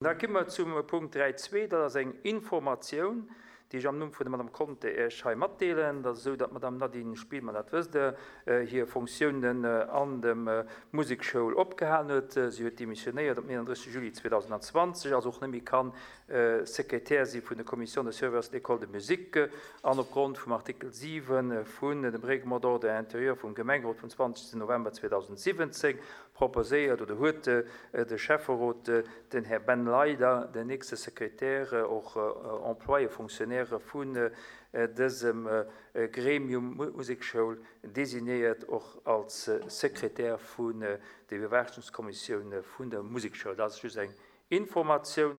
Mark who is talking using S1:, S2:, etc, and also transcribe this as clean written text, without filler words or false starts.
S1: Da komme mer zum Punkt 3.2, dat ass eng Informatioun, déi ech am Numm vun der Madame Conter Iech hei matdeelen. Et ass esou, datt d'Madame Nadine Spielmann, dat wësst Der, hir Fonctiounen an dem Musekschoul opgehalen huet. Si huet demissionéiert am 31 Juli 2020, also och net méi kann Sekretär si vun der Commission de surveillance de l'école de musique. An opgrond vum Artikel 7 vun dem Règlement d'ordre intérieur vum Gemengerot vum 20 November 2017 proposéiert oder huet de Schäfferot den Här Ben Leyder, den nächste Sekretär, och Employé, Fonctionnaire vun dësem Gremium Musekschoul, designéiert och als Sekretär vun der Iwwerwaachungskommissioun vun der Musekschoul. Dat ass just eng Informatioun.